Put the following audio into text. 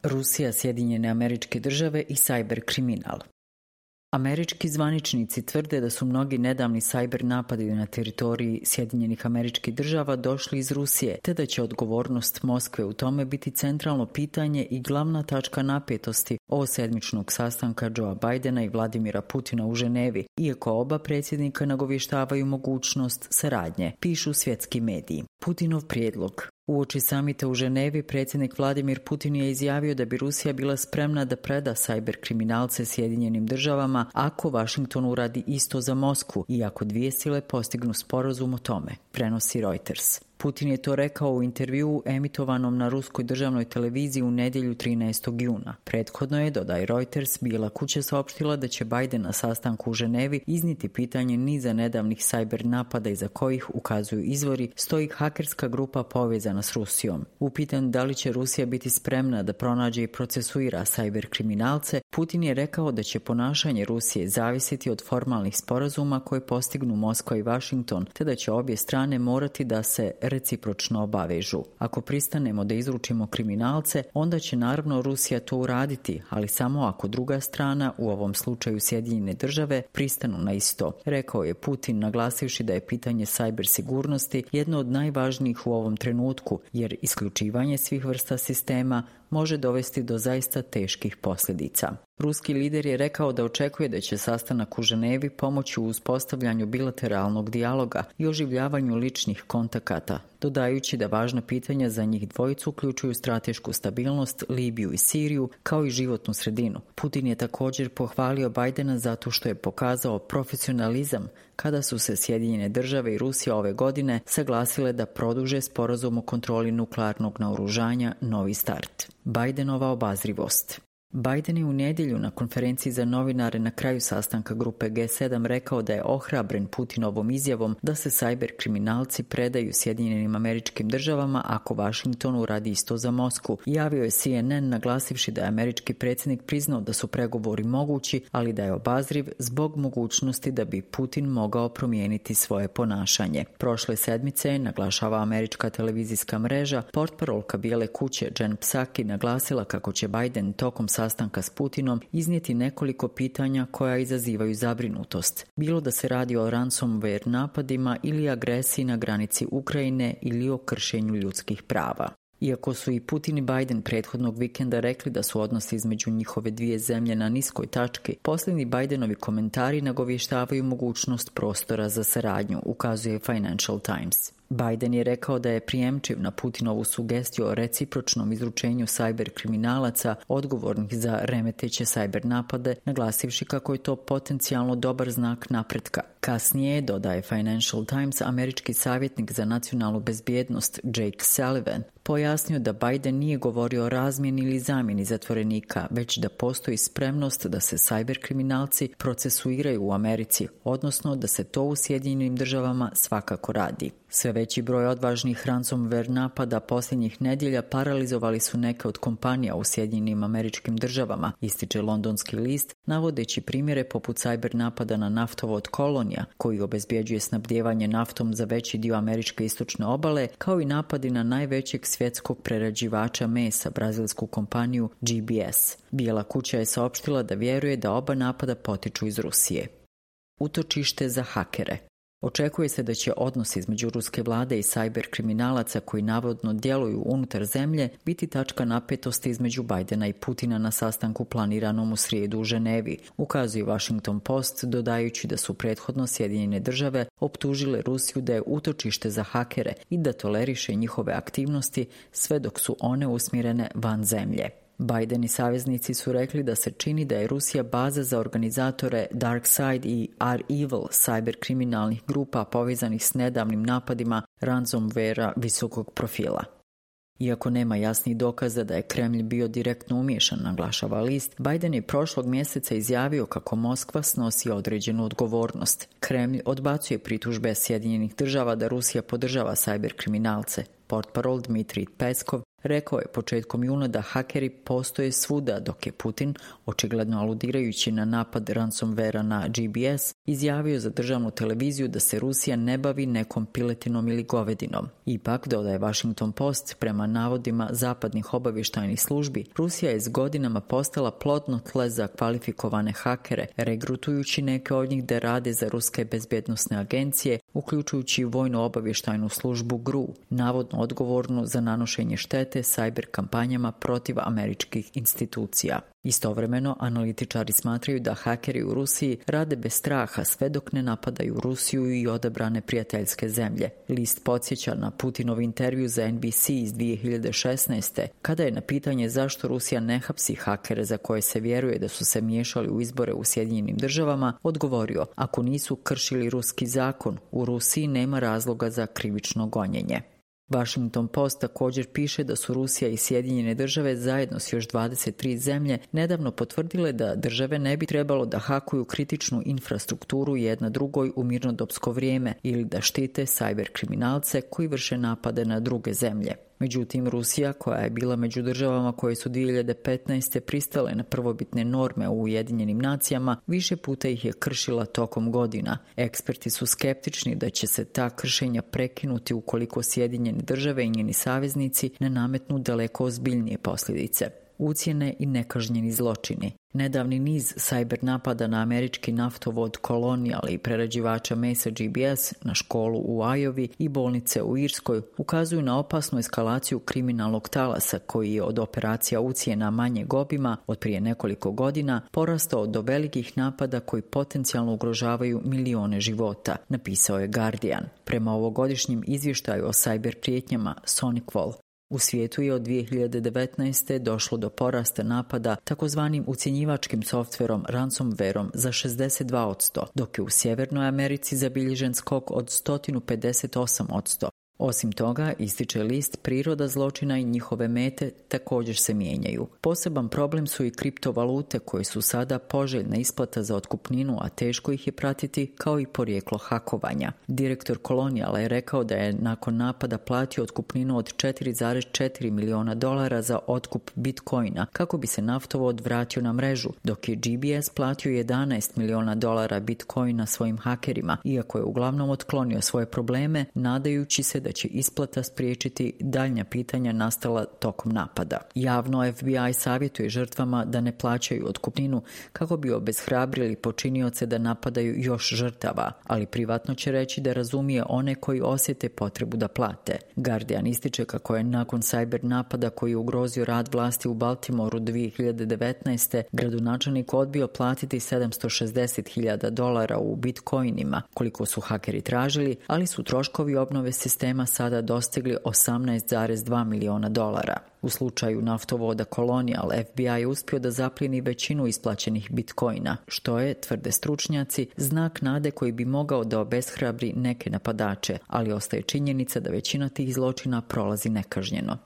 Rusija, Sjedinjene Američke Države i sajber kriminal. Američki zvaničnici tvrde da su mnogi nedavni sajber napadi na teritoriji Sjedinjenih Američkih Država došli iz Rusije, te da će odgovornost Moskve u tome biti centralno pitanje i glavna tačka napetosti sedmičnog sastanka Joea Bidena i Vladimira Putina u Ženevi, iako oba predsjednika nagovještavaju mogućnost saradnje, pišu svjetski mediji. Putinov prijedlog. Uoči samita u Ženevi, predsjednik Vladimir Putin je izjavio da bi Rusija bila spremna da preda sajber kriminalce Sjedinjenim Državama ako Washington uradi isto za Moskvu i ako dvije sile postignu sporazum o tome, prenosi Reuters. Putin je to rekao u intervjuu emitovanom na ruskoj državnoj televiziji u nedjelju 13. juna. Prethodno je, dodaje Reuters, Bijela kuća saopštila da će Biden na sastanku u Ženevi iznijeti pitanje niza nedavnih sajber napada iza kojih, ukazuju izvori, stoji hakerska grupa povezana s Rusijom. Upitan da li će Rusija biti spremna da pronađe i procesuira sajber kriminalce, Putin je rekao da će ponašanje Rusije zavisiti od formalnih sporazuma koje postignu Moskva i Washington, te da će obje strane morati da se recipročno obavežu. Ako pristanemo da izručimo kriminalce, onda će naravno Rusija to uraditi, ali samo ako druga strana, u ovom slučaju Sjedinjene Države, pristanu na isto, rekao je Putin, naglasivši da je pitanje sajber sigurnosti jedno od najvažnijih u ovom trenutku, jer isključivanje svih vrsta sistema može dovesti do zaista teških posljedica. Ruski lider je rekao da očekuje da će sastanak u Ženevi pomoći u uspostavljanju bilateralnog dijaloga i oživljavanju ličnih kontakata, dodajući da važna pitanja za njih dvojicu uključuju stratešku stabilnost, Libiju i Siriju, kao i životnu sredinu. Putin je također pohvalio Bidena zato što je pokazao profesionalizam kada su se Sjedinjene Države i Rusija ove godine saglasile da produže sporazum o kontroli nuklearnog naoružanja Novi start. Bidenova obazrivost. Biden je u nedjelju na konferenciji za novinare na kraju sastanka grupe G7 rekao da je ohrabren Putinovom izjavom da se sajber kriminalci predaju Sjedinjenim Američkim Državama ako Washington uradi isto za Moskvu. Javio je CNN naglasivši da je američki predsjednik priznao da su pregovori mogući, ali da je obazriv zbog mogućnosti da bi Putin mogao promijeniti svoje ponašanje. Prošle sedmice, naglašava američka televizijska mreža, portparolka Bijele kuće Jen Psaki naglasila kako će Biden tokom sastanka s Putinom iznijeti nekoliko pitanja koja izazivaju zabrinutost. Bilo da se radi o ransomware napadima ili agresiji na granici Ukrajine ili o kršenju ljudskih prava. Iako su i Putin i Biden prethodnog vikenda rekli da su odnosi između njihove dvije zemlje na niskoj tački, posljednji Bidenovi komentari nagovještavaju mogućnost prostora za saradnju, ukazuje Financial Times. Biden je rekao da je prijemčiv na Putinovu sugestiju o recipročnom izručenju sajber kriminalaca odgovornih za remeteće sajber napade, naglasivši kako je to potencijalno dobar znak napretka. Kasnije, dodaje Financial Times, američki savjetnik za nacionalnu bezbjednost Jake Sullivan pojasnio da Biden nije govorio o razmjeni ili zamjeni zatvorenika, već da postoji spremnost da se sajber kriminalci procesuiraju u Americi, odnosno da se to u Sjedinjenim Državama svakako radi. Sve veći broj odvažnih ransomware napada posljednjih nedjelja paralizovali su neke od kompanija u Sjedinjenim Američkim Državama, ističe londonski list, navodeći primjere poput sajber napada na naftovod Kolonija, koji obezbjeđuje snabdijevanje naftom za veći dio američke istočne obale, kao i napadi na najvećeg svjetskog prerađivača mesa, brazilsku kompaniju GBS. Bijela kuća je saopštila da vjeruje da oba napada potiču iz Rusije. Utočište za hakere. Očekuje se da će odnos između ruske vlade i sajber kriminalaca koji navodno djeluju unutar zemlje biti tačka napetosti između Bidena i Putina na sastanku planiranom u srijedu u Ženevi, ukazuje Washington Post, dodajući da su prethodno Sjedinjene Države optužile Rusiju da je utočište za hakere i da toleriše njihove aktivnosti sve dok su one usmjerene van zemlje. Biden i saveznici su rekli da se čini da je Rusija baza za organizatore DarkSide i R-Evil sajber kriminalnih grupa povezanih s nedavnim napadima ransomwarea visokog profila. Iako nema jasnih dokaza da je Kremlj bio direktno umiješan, naglašava list, Biden je prošlog mjeseca izjavio kako Moskva snosi određenu odgovornost. Kremlj odbacuje pritužbe Sjedinjenih Država da Rusija podržava sajber kriminalce. Portparol Dmitrij Peskov rekao je početkom juna da hakeri postoje svuda, dok je Putin, očigledno aludirajući na napad ransomwarea na GBS, izjavio za državnu televiziju da se Rusija ne bavi nekom piletinom ili govedinom. Ipak, dodaje Washington Post, prema navodima zapadnih obavještajnih službi, Rusija je s godinama postala plodno tle za kvalifikovane hakere, regrutujući neke od njih da rade za ruske bezbjednosne agencije, uključujući vojnu obavještajnu službu GRU, navodno odgovornu za nanošenje štete cyber kampanjama protiv američkih institucija. Istovremeno, analitičari smatraju da hakeri u Rusiji rade bez straha sve dok ne napadaju Rusiju i odabrane prijateljske zemlje. List podsjeća na Putinov intervju za NBC iz 2016. kada je na pitanje zašto Rusija ne hapsi hakere za koje se vjeruje da su se miješali u izbore u Sjedinjenim državama, odgovorio: ako nisu kršili ruski zakon, u Rusiji nema razloga za krivično gonjenje. Washington Post također piše da su Rusija i Sjedinjene države zajedno s još 23 zemlje nedavno potvrdile da države ne bi trebalo da hakuju kritičnu infrastrukturu jedna drugoj u mirnodopsko vrijeme ili da štite cyber kriminalce koji vrše napade na druge zemlje. Međutim, Rusija, koja je bila među državama koje su 2015. pristale na prvobitne norme u Ujedinjenim nacijama, više puta ih je kršila tokom godina. Eksperti su skeptični da će se ta kršenja prekinuti ukoliko Sjedinjene države i njeni saveznici ne nametnu daleko ozbiljnije posljedice. Ucjene i nekažnjeni zločini. Nedavni niz cyber napada na američki naftovod Colonial i prerađivača mesa GBS, na školu u Iowi i bolnice u Irskoj ukazuju na opasnu eskalaciju kriminalnog talasa koji je od operacija ucjena manjeg obima od prije nekoliko godina porastao do velikih napada koji potencijalno ugrožavaju milione života, napisao je Guardian. Prema ovogodišnjem izvještaju o cyber prijetnjama SonicWall, u svijetu je od 2019. došlo do porasta napada takozvanim ucjenjivačkim softverom ransomwareom za 62%, dok je u Sjevernoj Americi zabilježen skok od 158%. Osim toga, ističe list, priroda zločina i njihove mete također se mijenjaju. Poseban problem su i kriptovalute koje su sada poželjna isplata za otkupninu, a teško ih je pratiti, kao i porijeklo hakovanja. Direktor Coloniala je rekao da je nakon napada platio otkupninu od $4,4 milijuna za otkup bitcoina kako bi se naftovod vratio na mrežu, dok je GBS platio $11 milijuna bitcoina svojim hakerima, iako je uglavnom otklonio svoje probleme, nadajući se da će isplata spriječiti daljnja pitanja nastala tokom napada. Javno FBI savjetuje žrtvama da ne plaćaju otkupninu kako bi obeshrabrili počinioce da napadaju još žrtava, ali privatno će reći da razumije one koji osjete potrebu da plate. Guardian ističe kako je nakon cyber napada koji je ugrozio rad vlasti u Baltimoru 2019. gradonačelnik odbio platiti $760,000 u bitcoinima, koliko su hakeri tražili, ali su troškovi obnove sistema sada dostigli $18,2 milijuna. U slučaju naftovoda Colonial, FBI je uspio da zaplijeni većinu isplaćenih bitcoina, što je, tvrde stručnjaci, znak nade koji bi mogao da obeshrabri neke napadače, ali ostaje činjenica da većina tih zločina prolazi nekažnjeno.